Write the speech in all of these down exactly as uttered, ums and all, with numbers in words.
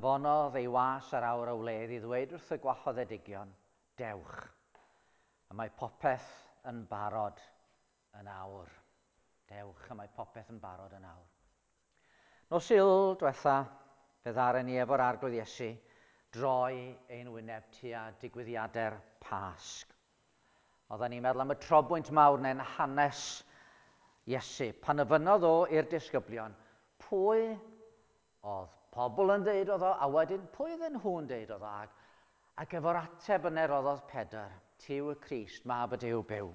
Anfonodd ei was ar awr y wledd i ddweud wrth y gwahoddedigion, dewch, a mae popeth yn barod yn awr. Dewch, a mae popeth yn barod yn awr. Nos Sul diwetha, fe ddaren ni efo'r Arglwydd Iesu droi ein wyneb tua digwyddiadau'r Pasg. Oedden ni'n meddwl am y trobwynt mawr neu'n hanes Iesu, pan ofynnodd o i'r disgyblion, pwy oedd pobl yn deud oedd o, a wedyn pwy oedden nhw'n deud oedd o, ac, ac efo'r ateb yna roddodd Pedr, ti yw y Crist, mab y Duw byw.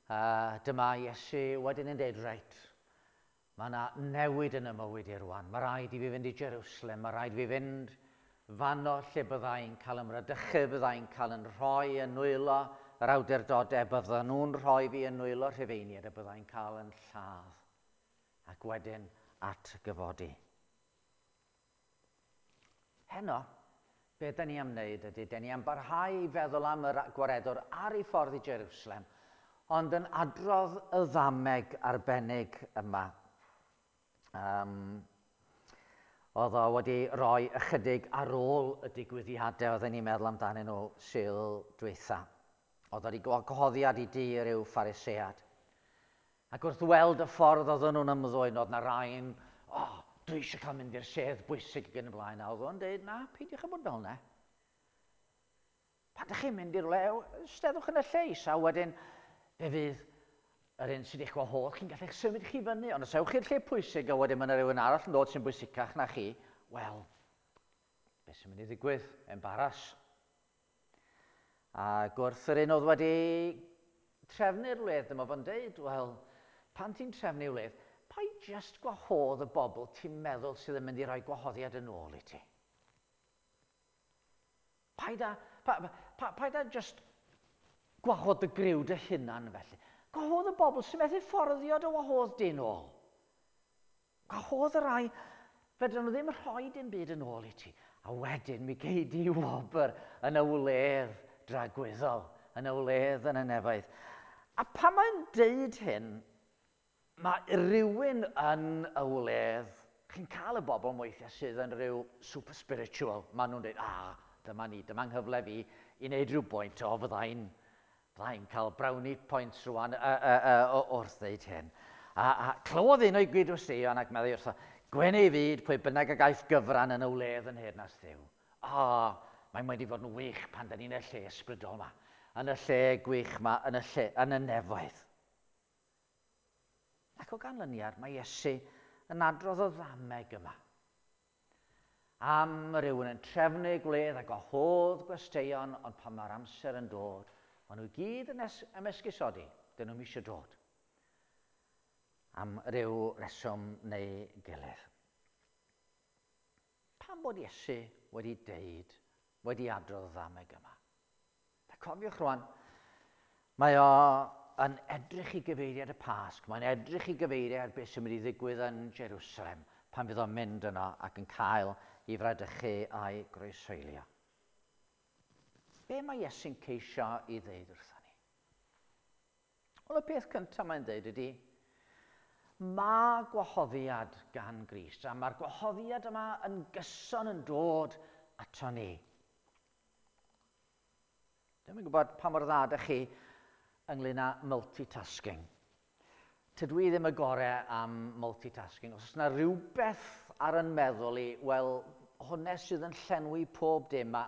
Uh, dyma Iesu wedyn yn deud, reit, mae yna newid yn y mywyd i rwan. Mae rhaid i fi fynd i Jerusalem, mae rhaid i fi fynd fanno lle byddai'n cael ymradychu, byddai'n cael yn rhoi yn nwylo yr awdurdodau, bydden nhw'n rhoi fi yn nwylo Rhufeiniaid a byddai'n cael yn lladd. Ac wedyn atgyfodi. Heno, be da ni am wneud ydy, da ni am barhau i feddwl am yr gwaredwr ar ei ffordd i Jerusalem, ond yn adrodd y ddameg arbennig yma. Um, oedd o wedi rhoi ychydig ar ôl y digwyddiadau oedden ni'n meddwl amdanyn nhw Sul dwytha. Oedd o wedi gwahoddiad i dŷ ryw Pharisead. Ac wrth weld y ffordd oedden nhw'n ymddwyn, oedd na rai'n, o, oh, dwi eisiau cael mynd i'r sedd bwysig ac yn y blaen. A oedd o'n dweud, na, peidiwch â bod fel yna. Pan ydych chi'n mynd i'r le, steddwch yn y lle isa, wedyn fe fydd yr un sydd eich gwahodd, chi'n gallu eich symud chi fyny. Ond os ewch i'r lle pwysig a wedyn mae yna rhywun arall yn dod sy'n bwysicach na chi, wel, beth sy'n mynd i ddigwydd? Embaras. A gwrth yr un oedd wedi trefnu'r wledd, dyma fo'n deud, wel, pan ti'n trefnu wledd, paid just gwahodd y bobl ti'n meddwl sydd yn mynd i roi gwahoddiad yn ôl i ti. Paid a, pa, pa, paid a just gwahodd dy griw dy hunan felly. Gwahodd y bobl sy'n methu fforddio dy wahodd di nôl. Gwahodd y rai, fedrwn nhw ddim rhoi dim byd yn ôl i ti. A wedyn mi gei di wobr yn y wledd dragwyddol, yn y wledd yn y nefoedd. A pan mae'n deud hyn, mae rhywun yn y wledd, chi'n cael y bobl weithiau sydd yn rhyw super spiritual. Maen nhw'n dweud, ah, dyma ni, dyma nghyfle fi i wneud rhyw bwynt, o, fyddai'n fyddai'n cael brownie points rwan uh, uh, uh, wrth ddeud hyn. A, a clywodd un o'i gyd-westeion ac meddai wrtho, gwyn ei fyd pwy bynnag a gaiff gyfran yn y wledd yn nheyrnas Dduw. O, mae'n wedi fod yn wych pan da ni'n y lle ysbrydol yma, yn y lle gwych yma, yn y lle, yn y nefoedd. Ac o ganlyniad, mae Iesu yn adrodd y ddameg yma. Am rhywun yn trefnu gwledd a gwahodd gwesteion, ond pan mae'r amser yn dod, maen nhw gyd yn ymesgusodi, dyn nhw'n eisiau dod. Am ryw reswm neu gilydd. Pam bod Iesu wedi deud, wedi adrodd y ddameg yma? A cofiwch rwan, mae o yn edrych i gyfeiriad y Pasg, mae'n edrych i gyfeiriad beth sy'n mynd i ddigwydd yn Jerusalem pan fydd o'n mynd yno ac yn cael ei fradychu a'i groeshoelio. Be mae Iesu'n ceisio i ddeud wrthon ni? Wel, y peth cyntaf mae'n dweud ydy, mae gwahoddiad gan Grist, a mae'r gwahoddiad yma yn gyson yn dod ato ni. Dwi'm yn gwybod pa mor dda ydych chi ynglyn â multitasking. Tydw i ddim y gorau am multitasking. Os oes yna rhywbeth ar yn meddwl i, wel, hwnna sydd yn llenwi pob dim, a,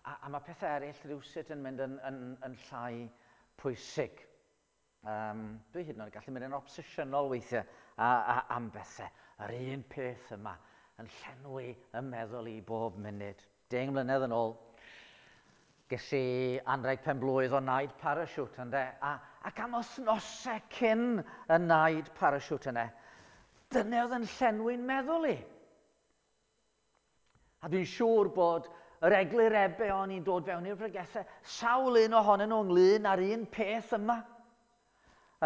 a, a mae pethau eraill rhywsut yn mynd yn, yn, yn llai pwysig. Um, dwi hyd yn oed gallu mynd yn obsesiynol weithiau a, a, am bethau. Yr un peth yma yn llenwi y meddwl i bob munud. Deng mlynedd yn ôl, ges i anrheg pen blwydd o naid parachute ynde, a, ac am wythnosau cyn y naid parachute yna, dyna oedd yn llenwi'n meddwl i. A dwi'n siŵr bod yr eglurebau o'n i'n dod fewn i'r pregethau, sawl un ohonyn nhw ynglyn â'r un peth yma.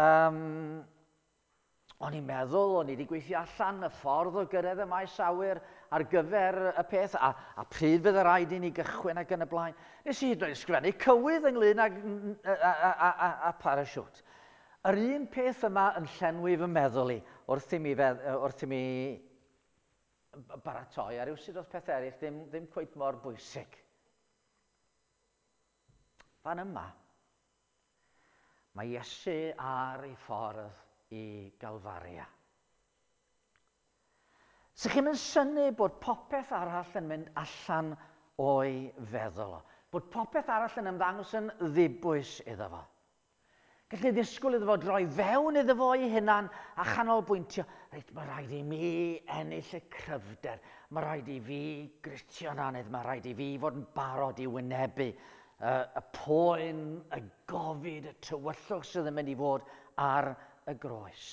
Um, o'n i'n meddwl, o'n i wedi gweithio allan y ffordd o gyrraedd y maes awyr ar gyfer y peth, a, a pryd fydd y rhaid i ni gychwyn ac yn y blaen. Nes i hyd yn oed ysgrifennu cywydd ynglyn ag, a, a, a, a, a parachute. Yr un peth yma yn llenwi fy meddwl i wrth i mi, fedd, wrth i mi baratoi, a rhywsut oedd pethau eraill ddim, ddim cweit mor bwysig. Fan yma, mae Iesu ar ei ffordd i Galfaria. So chi'n mynd synnu bod popeth arall yn mynd allan o'i feddwl o. Bod popeth arall yn ymddangos yn ddibwys iddo fo. Gallu ddisgwyl iddo fo droi fewn iddo fo ei hunan a chanolbwyntio. Reit, mae rhaid i mi ennill y cryfder. Mae rhaid i fi gritio'n anedd. Mae rhaid i fi fod yn barod i wynebu uh, y poen, y gofid, y tywyllwch sydd yn mynd i fod ar y groes.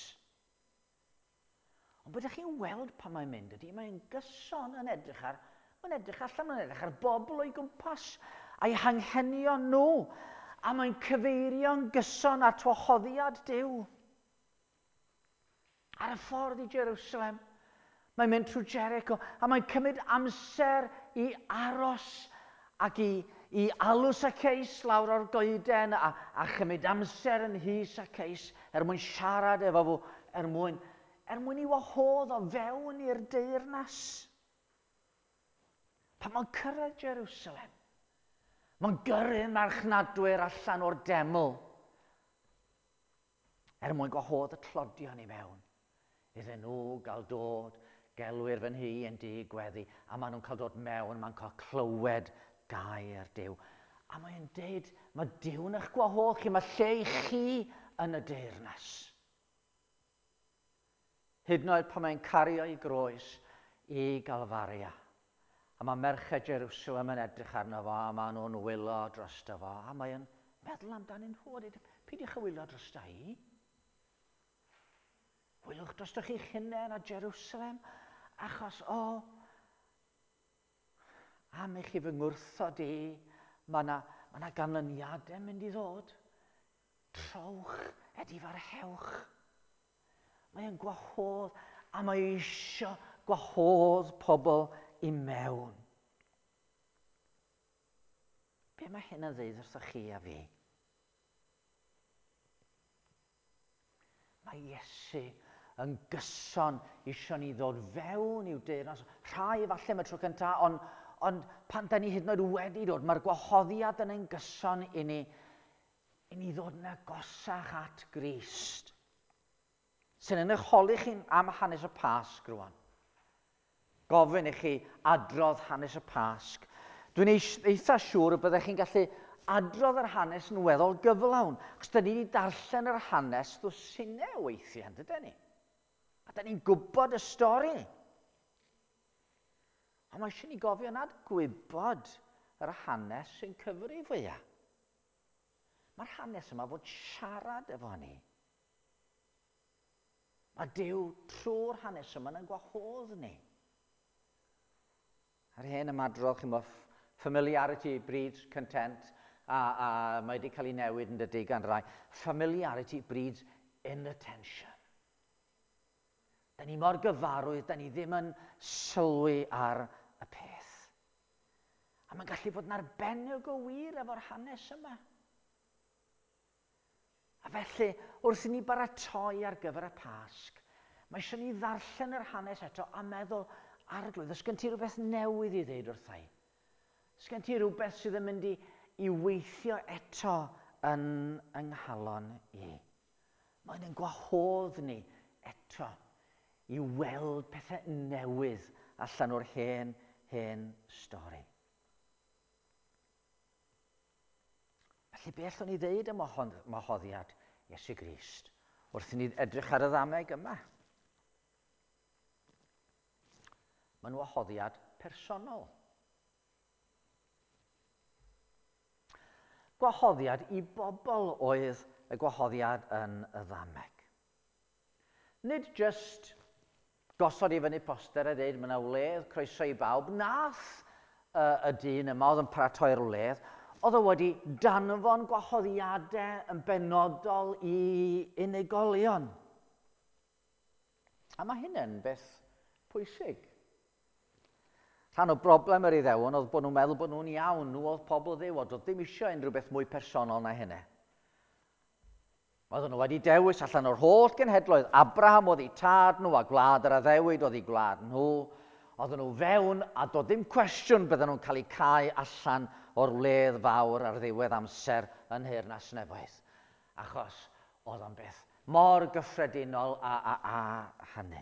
Ond bydych chi'n weld pan mae'n mynd ydy, mae'n gyson yn edrych ar, mae'n edrych allan, mae'n edrych ar bobl o'i gwmpas a'i hanghenion nhw. A mae'n cyfeirio'n gyson at wahoddiad Duw. Ar y ffordd i Jerusalem, mae'n mynd trwy Jericho a mae'n cymryd amser i aros ac i, i alw Zacchaeus lawr o'r goeden a, a chymryd amser yn nhŷ Zacchaeus er mwyn siarad efo fo, er mwyn, er mwyn i wahodd o fewn i'r deyrnas. Pan mae'n cyrraedd Jerusalem, mae'n gyrru marchnadwyr allan o'r deml er mwyn gwahodd y tlodion i mewn. Iddyn nhw gael dod, gelwir fy nhŷ yn dŷ gweddi, a maen nhw'n cael dod mewn, maen cael clywed gair Duw. A mae'n deud, mae Duw'n eich gwahodd chi, mae lle i chi yn y deyrnas. Hyd yn oed pan mae'n cario ei groes i Galfaria. A mae merched Jerusalem yn edrych arno fo, a maen nhw'n wylo drosto fo, a mae'n meddwl amdanyn nhw, a dweud, peidiwch â wylo drosta i. Wylwch drosto chi'ch hunain a Jerusalem, achos, o, am i chi fy ngwrthod i, mae yna ma na ganlyniadau mynd i ddod. Trowch, edifarhewch. Mae'n gwahodd, a mae eisiau gwahodd pobl i mewn. Be mae hyn yn ddeud wrthoch chi a fi? Mae Iesu yn gyson eisiau ni ddod fewn i'w deyrnas. Rhai falle am y tro cyntaf, ond, ond pan da ni hyd yn oed wedi dod, mae'r gwahoddiad yn ein gyson i ni, i ni ddod yn agosach at Grist. Sy'n yn eich holi chi am hanes y Pasg rwan. Gofyn i chi adrodd hanes y Pasg. Dwi'n eitha siŵr y byddech chi'n gallu adrodd yr hanes yn weddol gyflawn, achos da ni wedi darllen yr hanes ddwsinau weithiau, yndyden ni? A da ni'n gwybod y stori. Ond mae eisiau ni gofio nad gwybod yr hanes sy'n cyfri fwyaf. Mae'r hanes yma fod siarad efo ni. Mae Duw trwy'r hanes yma yn gwahodd ni. Ar hen ymadrodd, chi'n bod, familiarity breeds content, a, a mae wedi cael ei newid yn dydy gan rai. Familiarity breeds inattention. Da ni mor gyfarwydd, da ni ddim yn sylwi ar y peth. A mae'n gallu bod yn arbennig o wir efo'r hanes yma. A felly, wrth i ni baratoi ar gyfer y Pasg, mae eisiau ni ddarllen yr hanes eto a meddwl, Arglwydd, oes gen ti rhywbeth newydd i ddeud wrtha i? Oes gen ti rhywbeth sydd yn mynd i, i weithio eto yn yng nghalon i? Mae'n ein gwahodd ni eto i weld pethau newydd allan o'r hen, hen stori. Felly, be allwn ni ddeud am wahoddiad Iesu Grist wrth i ni edrych ar y ddameg yma? Mae'n wahoddiad personol. Gwahoddiad i bobl oedd y gwahoddiad yn y ddameg. Nid just gosod i fyny poster a dweud mae yna wledd, croeso i bawb. Nath uh, y dyn yma oedd yn paratoi'r wledd, oedd o wedi danfon gwahoddiadau yn benodol i unigolion. A mae hynny'n beth pwysig. Rhan o broblem yr Iddewon oedd bod nhw'n meddwl bod nhw'n iawn, nhw oedd pobl Dduw, oedd ddim eisiau unrhyw beth mwy personol na hynny. Oedden nhw wedi dewis allan o'r holl genhedloedd. Abraham oedd eu tad nhw a gwlad yr addewid oedd eu gwlad nhw. Oedden nhw fewn a doedd ddim cwestiwn bydden nhw'n cael eu cau allan o'r wledd fawr ar ddiwedd amser yn Nheyrnas Nefoedd. Achos oedd o'n beth mor gyffredinol a, a, a hynny.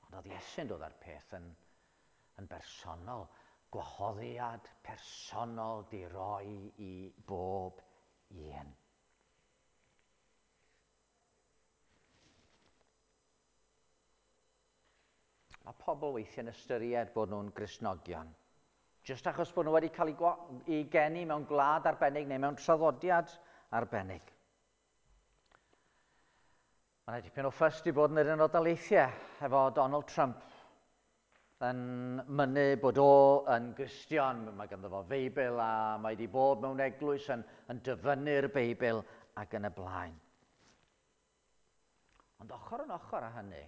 Ond oedd Iesu'n dod â'r peth yn, yn bersonol, gwahoddiad personol di roi i bob un. Mae pobl weithiau'n ystyried bod nhw'n Gristnogion. Jyst achos bod nhw wedi cael eu geni mewn gwlad arbennig neu mewn traddodiad arbennig. Mae yna dipyn o ffys di bod yn yr Unol Daleithiau efo Donald Trump yn mynnu bod o yn Gristion. Mae ganddo fo Feibl a mae wedi bod mewn eglwys yn, yn dyfynnu'r Beibl ac yn y blaen. Ond ochr yn ochr â hynny,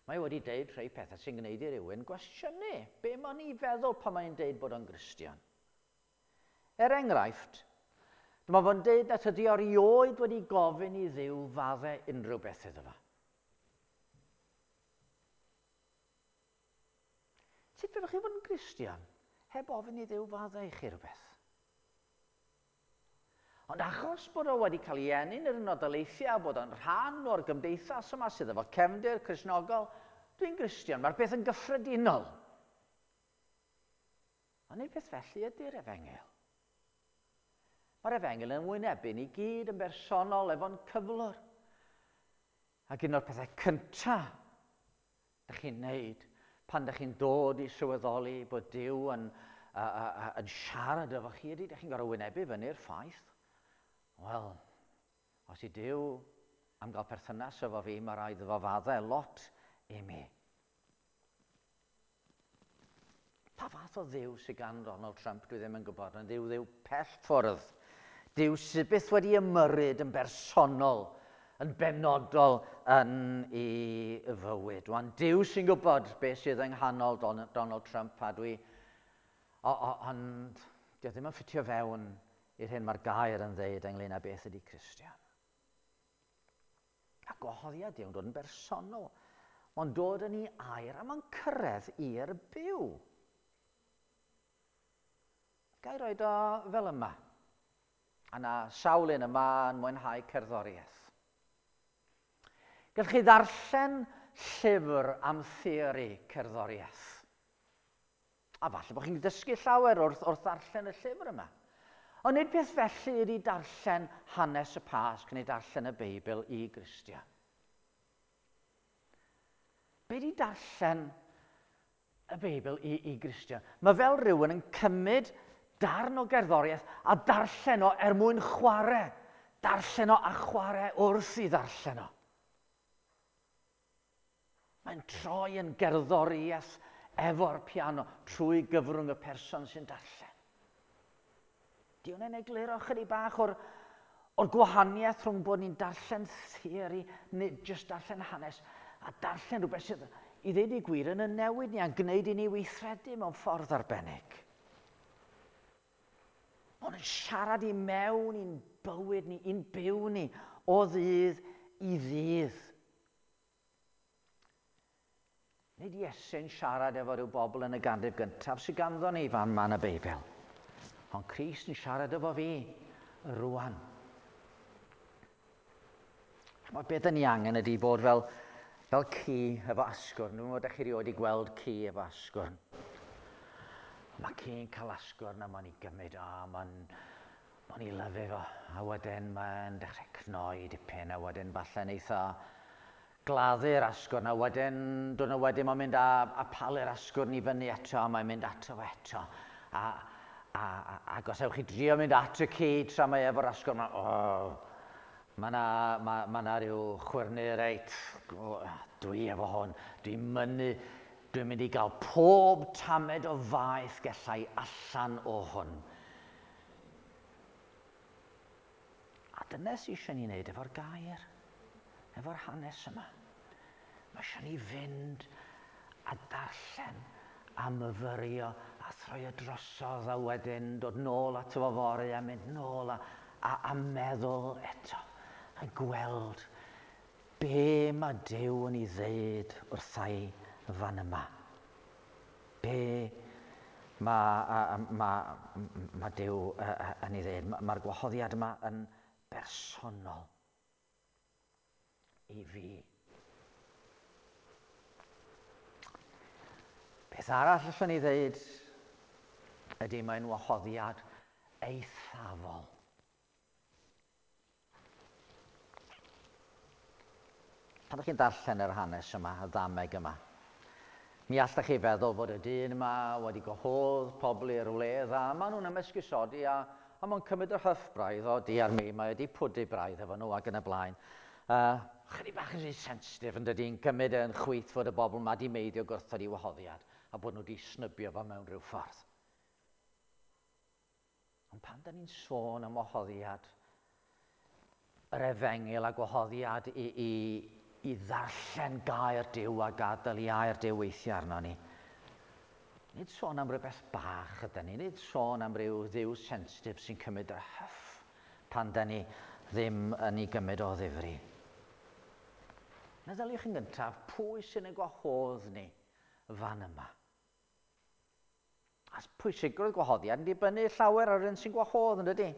mae wedi deud rhai pethau sy'n gwneud i rywun gwestiynu. Be mae'n ei feddwl pan mae'n deud bod o'n Gristion? Er enghraifft, dyma fo'n deud nad ydy o erioed wedi gofyn i Dduw faddau unrhyw beth iddo fo. Sut fedrwch chi fod yn Gristion heb ofyn i Dduw faddau i chi rhywbeth? Ond achos bod o wedi cael ei eni yn yr Unol Daleithiau, bod o'n rhan o'r gymdeithas yma sydd efo cefndir Cristnogol, dwi'n Gristion, mae'r peth yn gyffredinol. Ond nid peth felly ydy'r efengyl. Mae'r efengyl yn wynebu ni gyd yn bersonol efo'n cyflwr. Ac un o'r pethau cyntaf ydych chi'n neud pan ydych chi'n dod i sylweddoli bod Duw yn, uh, uh, yn siarad efo chi ydy, ydych chi'n gorfod wynebu fyny'r ffaith. Wel, os i Duw am gael perthynas efo fi, mae rhaid iddo fo faddau lot i mi. Pa fath o Dduw sydd gan Donald Trump, dwi ddim yn gwybod, ond Dduw Dduw pell ffwrdd. Duw sydd byth wedi ymyrryd yn bersonol, yn benodol yn ei fywyd. Wan, Duw sy'n gwybod beth sydd yng nghanol Donald Trump, a dwi... O, o, ond dio ddim yn ffitio fewn i'r hyn mae'r gair yn ddeud ynglyn â beth ydy Cristion. A gwahoddiad Duw'n dod yn bersonol. Mae'n dod yn ei air a mae'n cyrraedd i'r byw. Ga i roed o fel yma. A na sawl un yma yn mwynhau cerddoriaeth. Gallwch chi ddarllen llyfr am theori cerddoriaeth. A falle bod chi'n dysgu llawer wrth, wrth ddarllen y llyfr yma. Ond nid peth felly ydy darllen hanes y Pasg neu darllen y Beibl i Gristion. Be di darllen y Beibl i, i Gristion? Mae fel rhywun yn cymryd darn o gerddoriaeth a darllen o er mwyn chwarae. Darllen o a chwarae wrth i ddarllen o. Mae'n troi yn gerddoriaeth efo'r piano trwy gyfrwng y person sy'n darllen. Di hwnna'n egluro chydig bach o'r, o'r gwahaniaeth rhwng bod ni'n darllen theori, neu jyst darllen hanes, a darllen rhywbeth sydd i ddeud y gwir yn y newid ni a'n gwneud i ni weithredu mewn ffordd arbennig. Mae'n siarad i mewn i'n bywyd ni, i'n byw ni, o ddydd i ddydd. Nid Iesu'n siarad efo rhyw bobl yn y ganrif gyntaf sydd ganddo ni fan 'ma yn y Beibl. Ond Crist yn siarad efo fi rwan. Mae beth yn ni angen ydy bod fel, fel ci efo asgwrn. Dwi'n meddwl ydych chi erioed wedi gweld ci efo asgwrn. Mae ci'n cael asgwrn a mae'n ei gymryd o, mae'n mae'n ei lyfu fo. A wedyn mae'n dechrau cnoi dipyn, a wedyn falle'n eitha gladdu'r asgwrn, a wedyn, diwrnod wedyn mae'n mynd a, a palu'r asgwrn i fyny eto, a mae'n mynd ato fo eto. A, a, a, ac os ewch chi drio mynd at y ci tra mae efo'r asgwrn, mae'n, oh, mae yna ma, ma na ryw chwyrnu reit, oh, dwi efo hwn, dwi'n mynnu, dwi'n mynd i gael pob tamed o faeth gallai allan o hwn. A dyna sydd eisiau ni wneud efo'r gair, efo'r hanes yma. Mae eisiau ni fynd a darllen a myfyrio a throi o drosodd a wedyn dod nôl ato fo fory a mynd nôl a, a, a meddwl eto a gweld Be mae Duw yn ei ddeud wrtha i fan yma? Be mae, mae, mae Duw yn ei ddeud? Mae'r gwahoddiad yma yn bersonol i fi. Peth arall allwn ni ddeud ydy mae'n wahoddiad eithafol. Pan ydych chi'n darllen yr hanes yma, y ddameg yma, mi allech chi feddwl fod y dyn yma wedi gwahodd pobl i'r wledd a maen nhw'n ymesgusodi a, a maen cymryd yr hyff braidd o di ar mi, mae wedi pwdu braidd efo nhw ac yn y blaen. Uh, chydig bach yn rhy sensitif yn dydy, yn cymryd yn chwith fod y bobl yma di meiddio gwrthod i wahoddiad a bod nhw wedi snybio fo mewn rhyw ffordd. Ond pan da ni'n sôn am wahoddiad, yr efengyl a gwahoddiad i, i, i ddarllen gair Duw a gadael i air Duw weithio arno ni. Nid sôn am rhywbeth bach ydyn ni, nid sôn am ryw ddiw sensitif sy'n cymryd yr hyff pan da ni ddim yn ei gymryd o ddifri. Meddyliwch yn gyntaf, pwy sy'n ein gwahodd ni fan yma? A pwysigrwydd gwahoddiad yn dibynnu llawer ar un sy'n gwahodd, yn dydy?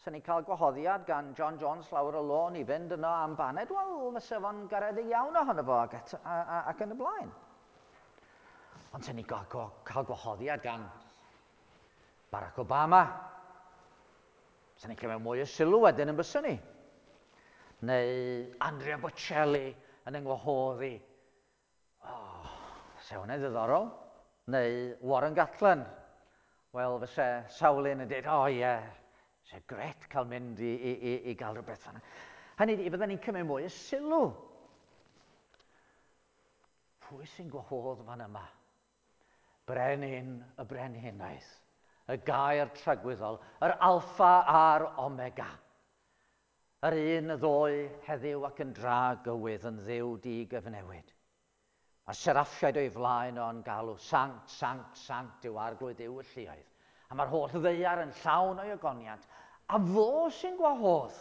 Sa'n ni'n cael gwahoddiad gan John Jones lawr y lôn i fynd yno am baned, wel, fysa fo'n garedig iawn ohono fo ac, et, a, a, ac yn y blaen. Ond sa'n ni'n cael, cael gwahoddiad gan Barack Obama. Sa'n ni'n cymryd mwy o sylw wedyn yn byswn ni. Neu Andrea Bocelli yn yng ngwahoddi. Oh, se hwnna'n ddiddorol. Neu Warren Gatland. Wel, fysa sawl un yn dweud, o oh, ie, yeah, se gret cael mynd i, i, i, i gael rhywbeth fanna. Hynny ydi, fydden ni'n cymryd mwy o sylw. Pwy sy'n gwahodd fan yma? Brenin y brenhinoedd, y gair tragwyddol, yr alffa a'r omega. Yr un y ddoe heddiw ac yn dragywydd yn ddiw di-gyfnewid. Mae seraffiaid o'i flaen o'n galw, sanct, sanct, sanct yw arglwydd Duw y lluoedd. A mae'r holl ddaear yn llawn o'i ogoniant. A fo sy'n gwahodd.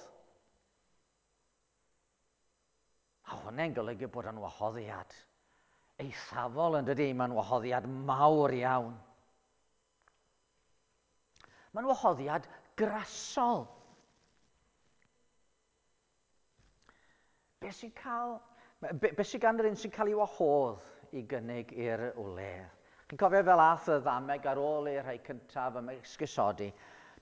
A hwnna'n golygu bod o'n wahoddiad eithafol yn dydy, mae'n wahoddiad mawr iawn. Mae'n wahoddiad grasol. Be sy'n cael, be, be sy'n gan yr un sy'n cael ei wahodd i gynnig i'r wledd? Chi'n cofio fel ath y ddameg ar ôl i'r rhai cyntaf ym esgusodi.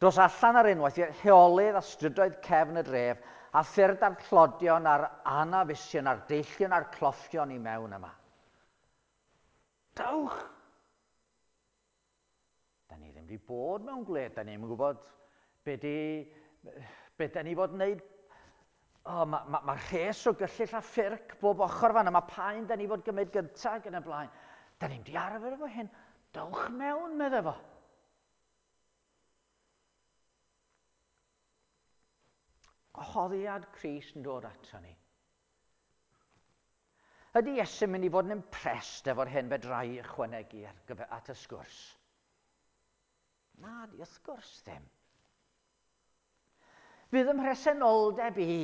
Dos allan ar unwaith i'r heolydd a strydoedd cefn y dref a ffyrdd a'r tlodion a'r anafusion a'r deillion a'r cloffion i mewn yma. Dewch! Da ni ddim wedi bod mewn gwled, da ni ddim yn gwybod be di, be da ni fod yn wneud. Oh, mae ma, ma rhes o gyllyll a ffyrc bob ochr fan yma, pa un da ni fod gymryd gyntaf yn y blaen. Da ni'n di arfer efo hyn. Dewch mewn, medde fo. Gwahoddiad Crist yn dod ato ni. Ydy Iesu'n mynd i fod yn impressed efo'r hyn fedra i ychwanegu ar gyfer, at y sgwrs? Na, di wrth gwrs ddim. Fydd ym mhresenoldeb i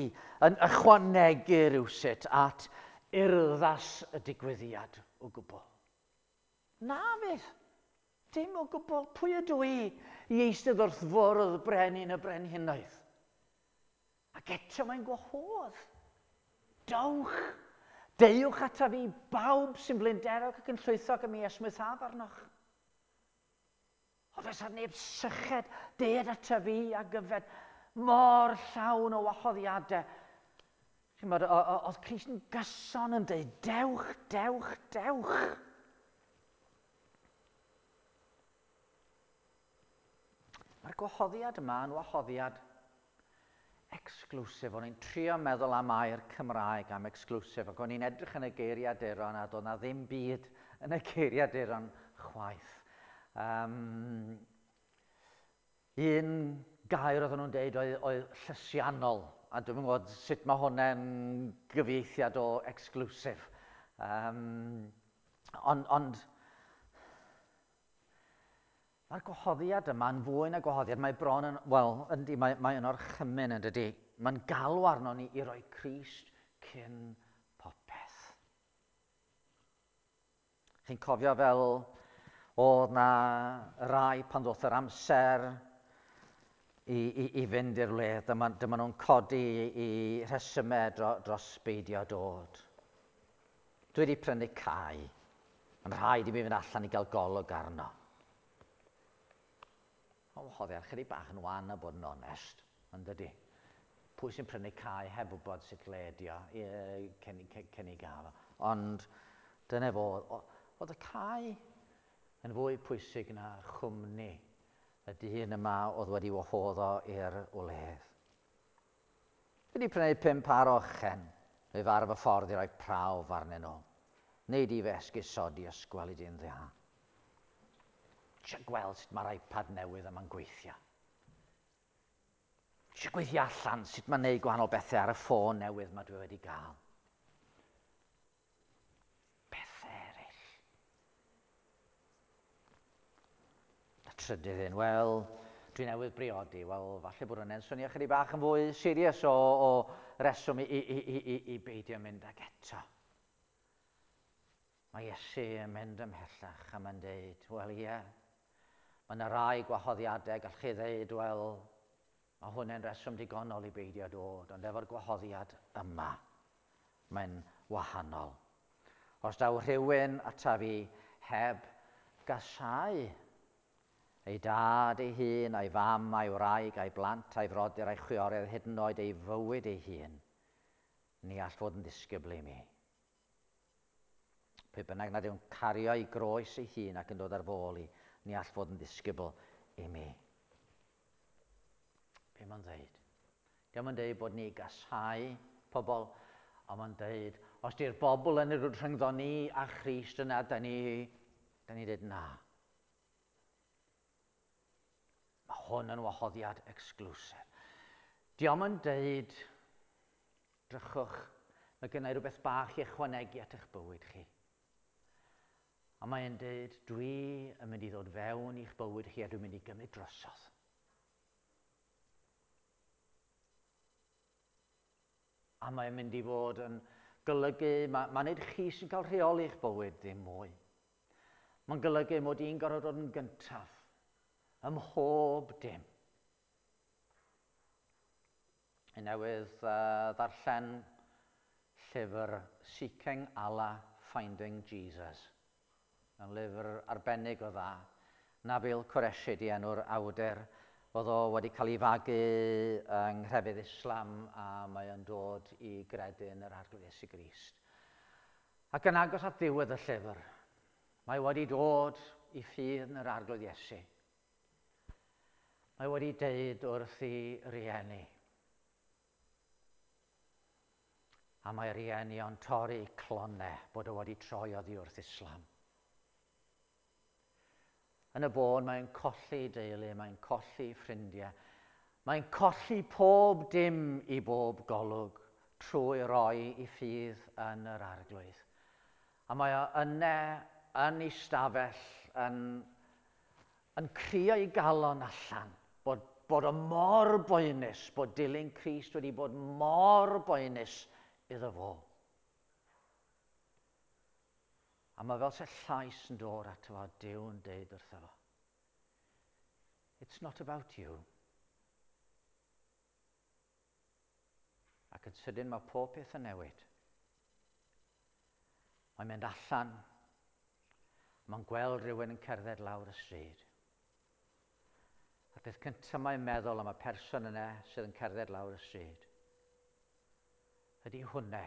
yn ychwanegu rhywsut at urddas y digwyddiad o gwbl. Na fydd. Dim o gwbl. Pwy ydw i i eistedd wrth fwrdd brenin y brenhinoedd? Ac eto mae'n gwahodd. Dowch. Deuwch ata fi bawb sy'n blinderog ac yn llwythog am i esmwythaf arnoch. O fysa neb syched, ded ata fi a gyfed mor llawn o wahoddiadau. Chi'mod, oedd Crist yn gyson yn dweud, dewch, dewch, dewch. Mae'r gwahoddiad yma yn wahoddiad exclusive. O'n i'n trio meddwl am air Cymraeg am exclusive, ac o'n i'n edrych yn y geiriaduron a doedd na ddim byd yn y geiriaduron chwaith. Um, un gair oedden nhw'n deud oedd, oedd llysiannol, a dwi'm yn gwybod sut mae hwnna'n gyfieithiad o exclusive. Um, ond, ond mae'r gwahoddiad yma yn fwy na gwahoddiad, mae bron yn, wel, yndi, mae, mae yn orchymyn yn dydy. Mae'n galw arno ni i roi Crist cyn popeth. Chi'n cofio fel oedd na rai pan ddoth yr amser i, i, i fynd i'r wledd, dyma, dyma nhw'n codi i rhesymau dro, dros beidio dod. Dwi wedi prynu cae. Mae'n rhaid i mi fynd allan i gael golwg arno. O, wahoddiad chydig bach yn wan a bod yn onest, yn dydy. Pwy sy'n prynu cae heb wybod sut le ydi o cyn, cyn, cyn i gael o. Ond dyna fo, oedd y cae yn fwy pwysig na chwmni y dyn yma oedd wedi wahodd o i'r wledd. Dwi wedi prynu pum par o ochen, neu far fy ffordd i roi prawf arnyn nhw. Neu di fy esgusodi os gweli di'n dda. Eisiau gweld sut mae'r iPad newydd yma'n gweithio. Eisiau gweithio allan sut mae'n neud gwahanol bethau ar y ffôn newydd mae dwi wedi gael. Bethau eraill. Y trydydd un, wel, dwi newydd briodi, wel, falle bod hwnna'n swnio chydig bach yn fwy serious o, o reswm i, i, i, i, i beidio mynd ag eto. Mae Iesu yn mynd ymhellach a mae'n deud, wel ie, mae yna rai gwahoddiadau, gall chi ddeud, wel, mae hwnna'n reswm digonol i beidio dod, ond efo'r gwahoddiad yma, mae'n wahanol. Os daw rhywun ata fi heb gasáu ei dad ei hun, a'i fam, a'i wraig, a'i blant, a'i frodyr, a'i chwiorydd, hyd yn oed ei fywyd ei hun, ni all fod yn ddisgybl i mi. Pwy bynnag nad yw'n cario ei groes ei hun ac yn dod ar fôl i, ni all fod yn ddisgybl i mi. Be mae'n dweud? Dio'm yn dweud bod ni gasáu pobl, ond mae'n dweud, os di'r bobl yn yr rhyngddo ni a Christ yna, da ni, da ni dweud na. Mae hwn yn wahoddiad exclusive. Dio'm yn dweud, drychwch, mae gennau rhywbeth bach i ychwanegu at eich bywyd chi. A mae'n dweud, dwi yn mynd i ddod fewn i'ch bywyd chi a dwi'n mynd i gymryd drosodd. A mae'n mynd i fod yn golygu, mae, mae nid chi sy'n cael rheoli eich bywyd ddim mwy. Mae'n golygu mod i'n gorfod dod yn gyntaf ym mhob dim. I newydd uh, ddarllen llyfr Seeking Allah, Finding Jesus. Yn lyfr arbennig o dda. Nabil Qureshi di enw'r awdur. Oedd o wedi cael ei fagu yng nghrefydd Islam a mae o'n dod i gredu yn yr Arglwydd Iesu Grist. Ac yn agos at ddiwedd y llyfr, mae wedi dod i ffydd yn yr Arglwydd Iesu. Mae wedi deud wrth ei rieni. A mae rieni o'n torri clonau bod o wedi troi oddi wrth Islam. Yn y bôn, mae'n colli deulu, mae'n colli ffrindiau. Mae'n colli pob dim i bob golwg trwy roi i ffydd yn yr Arglwydd. A mae o yna yn ei stafell yn, yn crio ei galon allan, bod, bod o mor boenus, bod dilyn Crist wedi bod mor boenus iddo fo. A mae fel se llais yn dod ato fo, Duw yn deud wrtho fo. It's not about you. Ac yn sydyn mae pob peth yn newid. Mae'n mynd allan. Mae'n gweld rhywun yn cerdded lawr y stryd. A'r peth cyntaf mae'n meddwl am y person yna sydd yn cerdded lawr y stryd ydy hwnna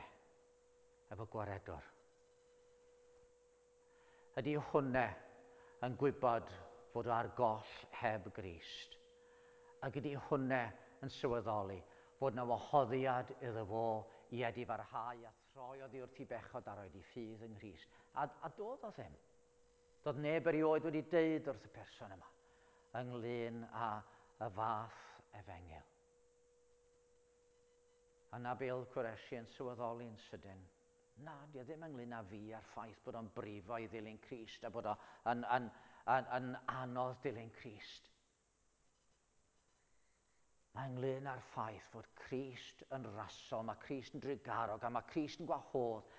efo gwaredwr. Ydy hwnna yn gwybod fod o ar goll heb Grist. Ac ydy hwnna yn sylweddoli fod yna wahoddiad iddo fo i edifarhau a throi oddi wrth i bechod a roed i ffydd yng Nghrist. A, a doedd o ddim. Doedd neb erioed wedi deud wrth y person yma ynglyn â y fath efengyl. A Nabil Qureshi yn sylweddoli'n sydyn, na, di o ddim ynglyn â fi a'r ffaith bod o'n brifo i ddilyn Crist a bod o'n yn, yn, yn, yn anodd dilyn Crist. Mae ynglyn â'r ffaith fod Crist yn rasol, mae Crist yn drugarog, a mae Crist yn gwahodd.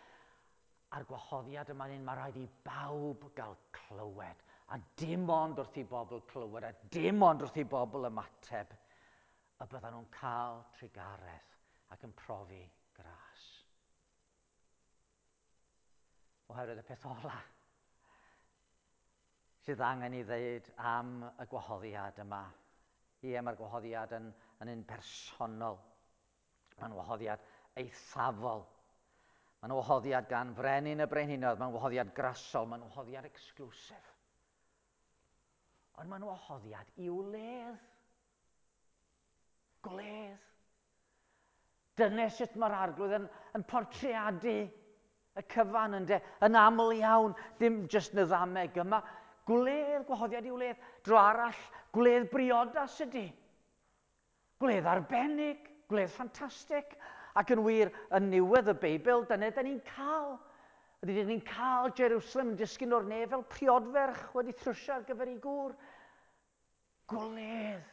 A'r gwahoddiad yma'n un mae rhaid i bawb gael clywed. A dim ond wrth i bobl clywed, a dim ond wrth i bobl ymateb, y byddan nhw'n cael trugaredd ac yn profi gras. Oherwydd y peth ola sydd angen i ddeud am y gwahoddiad yma. Ie, mae'r gwahoddiad yn, yn un personol. Mae'n wahoddiad eithafol. Mae'n wahoddiad gan frenin y brenhinoedd, mae'n wahoddiad grasol, mae'n wahoddiad exclusive. Ond mae'n wahoddiad i wledd. Gwledd. Dyna sut mae'r Arglwydd yn, yn portreadu y cyfan yn, de, yn aml iawn, dim jyst yn y ddameg yma. Gwledd, gwahoddiad i wledd. Dro arall, gwledd briodas ydy. Gwledd arbennig, gwledd ffantastig. Ac yn wir, yn niwedd y Beibl, dyna da ni'n cael. Ydy, da ni'n cael Jerusalem yn disgyn o'r nef fel priodferch wedi thrwsio ar gyfer ei gŵr. Gwledd.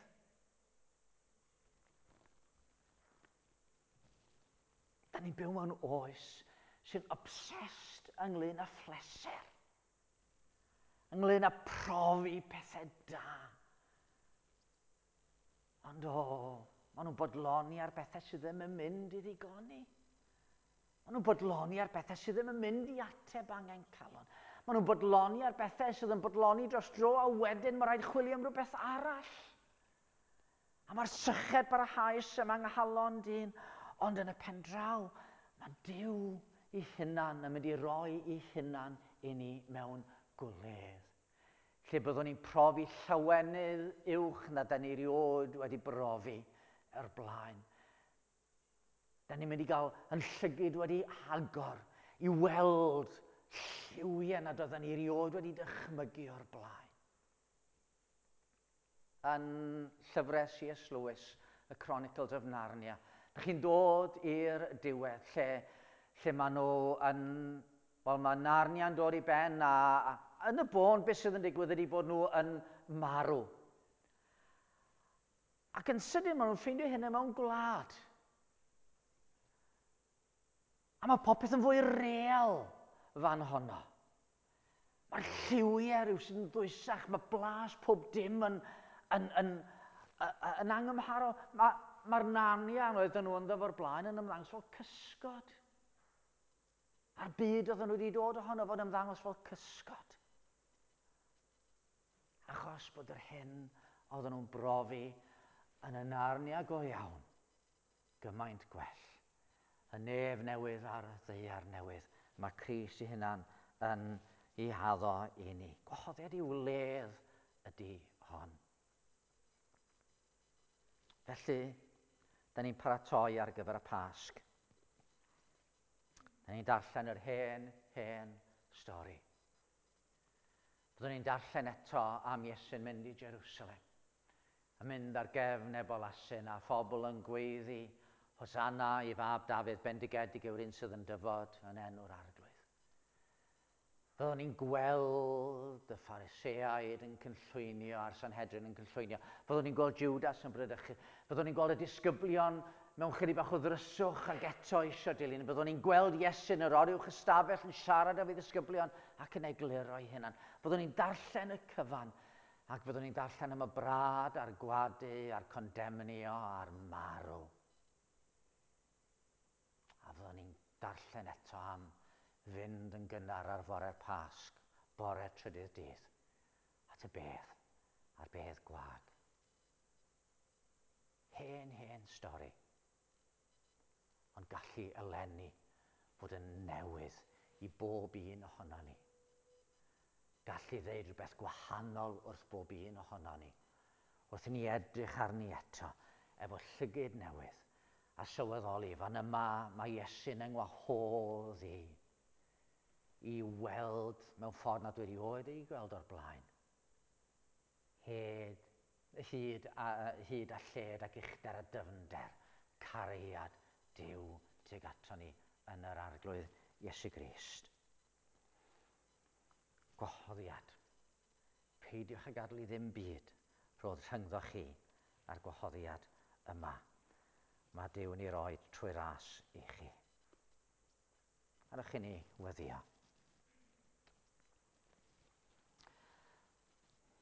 Da ni'n byw mewn oes sy'n obsessed ynglyn â phleser. Ynglyn â profi pethau da. Ond o, maen nhw'n bodloni ar bethau sydd ddim yn mynd i ddigoni. Maen nhw'n bodloni ar bethau sydd ddim yn mynd i ateb angen calon. Maen nhw'n bodloni ar bethau sydd yn bodloni dros dro a wedyn mae rhaid chwilio am rhywbeth arall. A mae'r syched barhaus yma yng nghalon dyn. Ond yn y pen draw, mae Duw ei hunan yn mynd i roi ei hunan i ni mewn gwledd. Lle byddwn ni'n profi llawenydd uwch na da ni erioed wedi brofi o'r blaen. Da ni'n mynd i gael yn llygid wedi agor i weld lliwiau nad oedden ni erioed wedi dychmygu o'r blaen. Yn llyfrau C S Lewis, The Chronicles of Narnia, da chi'n dod i'r diwedd lle, lle maen nhw yn... Wel, mae Narnia'n dod i ben a, a yn y bôn, beth sydd yn digwydd ydy bod nhw yn marw. Ac yn sydyn, maen nhw'n ffeindio hynny mewn gwlad. A mae popeth yn fwy real fan honno. Mae'r lliwiau rhyw sydd yn ddwysach, mae blas pob dim yn, yn, yn, yn, yn angymharol. Mae, mae'r Narnia oedden nhw ynddo fo'r blaen yn ymddangos fel cysgod. A'r byd oedden nhw wedi dod ohono fod ymddangos fel cysgod. Achos bod yr hyn oedden nhw'n brofi yn y Narnia go iawn, gymaint gwell. Y nef newydd a'r ddaear newydd, mae Crist ei hunan yn ei haddo i ni. Gwahoddiad i wledd ydy hon. Felly, da ni'n paratoi ar gyfer y Pasg. Da ni'n darllen yr hen, hen stori. Byddwn ni'n darllen eto am Iesu'n mynd i Jerusalem. A mynd ar gefn ebol asyn a phobl yn gweiddi Hosanna i fab Dafydd, bendigedig yw'r un sydd yn dyfod yn enw'r Arglwydd. Byddwn ni'n gweld y Phariseaid yn cynllwynio a'r Sanhedrin yn cynllwynio. Byddwn ni'n gweld Judas yn bradychu. Byddwn ni'n gweld y disgyblion mewn chydig bach o ddryswch ac eto eisiau dilyn. Byddwn ni'n gweld Iesu yn yr oruwch ystafell yn siarad efo'i ddisgyblion ac yn egluro ei hunan. Byddwn ni'n darllen y cyfan ac byddwn ni'n darllen am y brad a'r gwadu a'r condemnio a'r marw. A fyddwn ni'n darllen eto am fynd yn gynnar ar fore'r Pasg, bore trydydd dydd, at y bedd, a'r bedd gwag. Hen, hen stori. Ond gallu eleni fod yn newydd i bob un ohono ni. Gallu ddeud rhywbeth gwahanol wrth bob un ohono ni. Wrth i ni edrych arni eto, efo llygid newydd, a sylweddoli, fan yma mae Iesu'n yng ngwahodd i i weld mewn ffordd nad wedi oed ei gweld o'r blaen. Hyd, hyd, a, hyd a lled ac uchder a dyfnder, cariad Duw tuag ato ni yn yr Arglwydd Iesu Grist. Gwahoddiad. Peidiwch â gadael i ddim byd roedd rhyngddo chi a'r gwahoddiad yma. Mae Duw'n ei roi trwy ras i chi. Gadewch i ni weddïo.